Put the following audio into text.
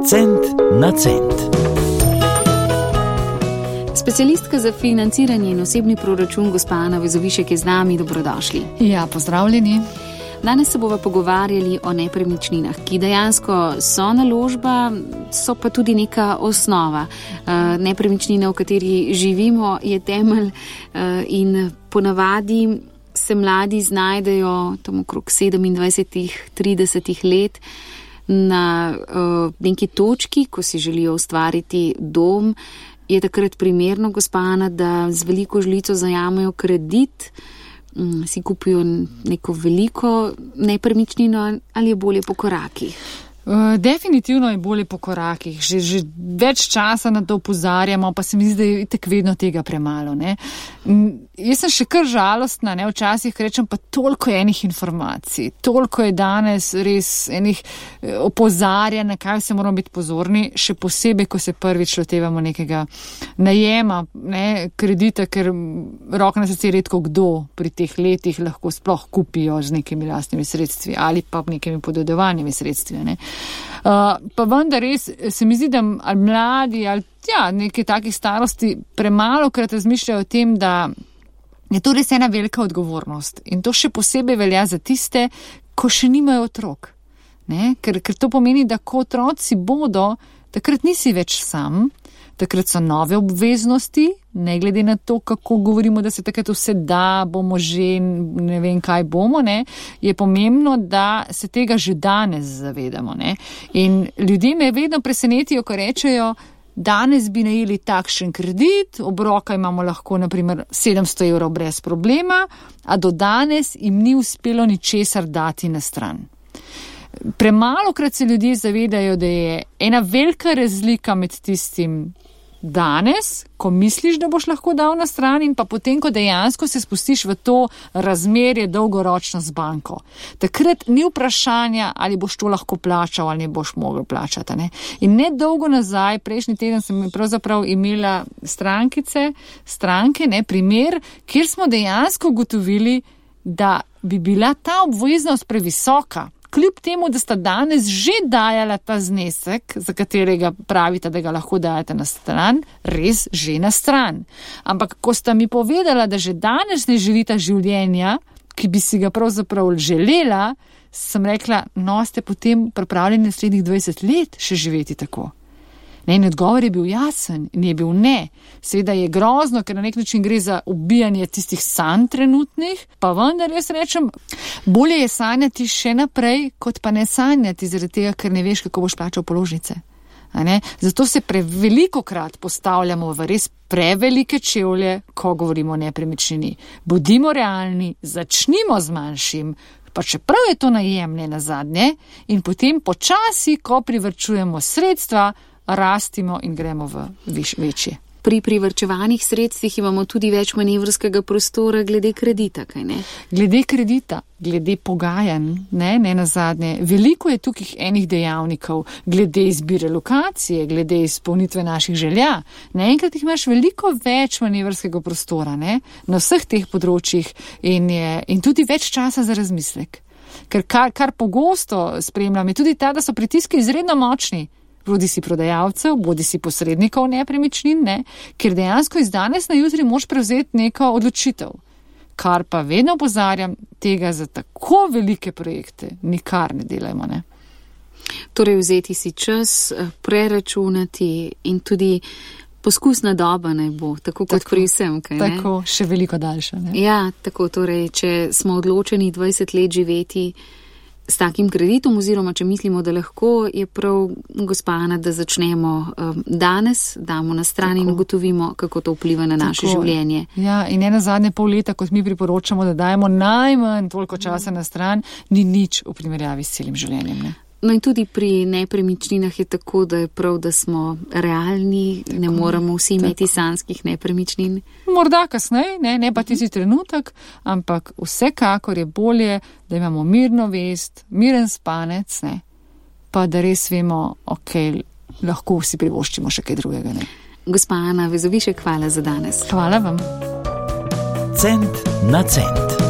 Cent na cent. Specialistka za financiranje in osebni proračun gospa Ana Vezovišek je z nami. Dobrodošli. Ja, pozdravljeni. Danes se bova pogovarjali o nepremičninah, ki dejansko so naložba, so pa tudi neka osnova. Nepremičnina, v kateri živimo, je temelj in ponavadi se mladi znajdejo tam okrog 27-30 let na neki točki, ko si želijo ustvariti dom. Je takrat primerno, gospa Ana, da z veliko žlico zajamejo kredit, si kupijo neko veliko nepremičnino ali je bolje po korakih? Definitivno je bolje po korakih. Že več časa na to opozarjamo, pa se mi zdi, da je itak vedno tega premalo. Ne? Jaz sem še kar žalostna, ne? Včasih rečem, pa toliko je enih informacij, toliko je danes res enih opozarjanj, na kaj se moramo biti pozorni, še posebej, ko se prvič lotevamo nekega najema, ne, kredita, ker roko na srce redko kdo pri teh letih lahko sploh kupijo z nekimi lastnimi sredstvi ali pa nekimi podedovanimi sredstvi. Ne. Pa vendar res se mi zdi, da ali mladi ali nekaj takih starosti premalo krat razmišljajo o tem, da je to res ena velika odgovornost in to še posebej velja za tiste, ko še nimajo otrok. Ne? Ker to pomeni, da ko otroci bodo, takrat nisi več sam, takrat so nove obveznosti, ne glede na to, kako govorimo, da se takrat vse da, bomo že ne vem kaj bomo, ne, je pomembno, da se tega že danes zavedamo. Ne. In ljudje me vedno presenetijo, ko rečejo, danes bi najeli takšen kredit, obroka imamo lahko naprimer 700 evrov brez problema, a do danes jim ni uspelo ničesar dati na stran. Premalokrat se ljudje zavedajo, da je ena velika razlika med tistim danes, ko misliš, da boš lahko dal na stran in pa potem, ko dejansko se spustiš v to razmerje dolgoročno z banko. Takrat ni vprašanja, ali boš to lahko plačal ali ne boš mogel plačati. Ne? In ne dolgo nazaj, prejšnji teden sem pravzaprav imela stranke, ne, primer, kjer smo dejansko ugotovili, da bi bila ta obveznost previsoka. Kljub temu, da sta danes že dajala ta znesek, za katerega pravite, da ga lahko dajete na stran, res že na stran. Ampak ko sta mi povedala, da že danes ne živita življenja, ki bi si ga pravzaprav želela, sem rekla, no, ste potem pripravljeni naslednjih 20 let še živeti tako. Ne, in odgovor je bil jasen in je bil ne. Seveda je grozno, ker na nek način gre za ubijanje tistih sanj trenutnih, pa vendar jaz rečem, bolje je sanjati še naprej, kot pa ne sanjati, zaradi tega, ker ne veš, kako boš plačal položnice. Zato se prevelikokrat postavljamo v res prevelike čevlje, ko govorimo o nepremičnini. Bodimo realni, začnimo z manjšim, pa čeprav je to najem ne nazadnje, in potem počasi, ko privrčujemo sredstva, rastimo in gremo v večje. Pri privrčevanih sredstvih imamo tudi več manevrskega prostora glede kredita, kaj ne? Glede kredita, glede pogajanj, ne nazadnje. Veliko je tukaj enih dejavnikov, glede izbire lokacije, glede izpolnitve naših želja. Naenkrat jih imaš veliko več manevrskega prostora, ne? Na vseh teh področjih in tudi več časa za razmislek. Ker kar pogosto spremljam, je tudi ta, da so pritiski izredno močni. Bodi si prodajalcev, bodi si posrednikov nepremičnin, ne? Ker dejansko iz danes na jutri moš prevzeti neko odločitev. Kar pa vedno opozarjam, tega za tako velike projekte nikar ne delajmo. Ne? Torej vzeti si čas, preračunati in tudi poskusna doba naj bo, tako kot pri vsem. Kaj, ne? Tako, še veliko daljša. Ne? Ja, tako, torej, če smo odločeni 20 let živeti s takim kreditom, oziroma če mislimo, da lahko, je prav, gospa Ana, da začnemo danes, damo na stran in ugotovimo, kako to vpliva na naše življenje. Ja, in ne nazadnje pol leta, kot mi priporočamo, da dajemo najmanj toliko časa na stran, ni nič v primerjavi s celim življenjem. Ne? No in tudi pri nepremičninah je tako, da je prav, da smo realni, tako, ne moramo vsi imeti sanjskih nepremičnin. Morda kasneje, ne pa tisti trenutek, ampak vsekakor je bolje, da imamo mirno vest, miren spanec, ne, pa da res vemo, lahko vsi privoščimo še kaj drugega. Ne. Gospa Ana Vezovišek, hvala za danes. Hvala vam. Cent na cent.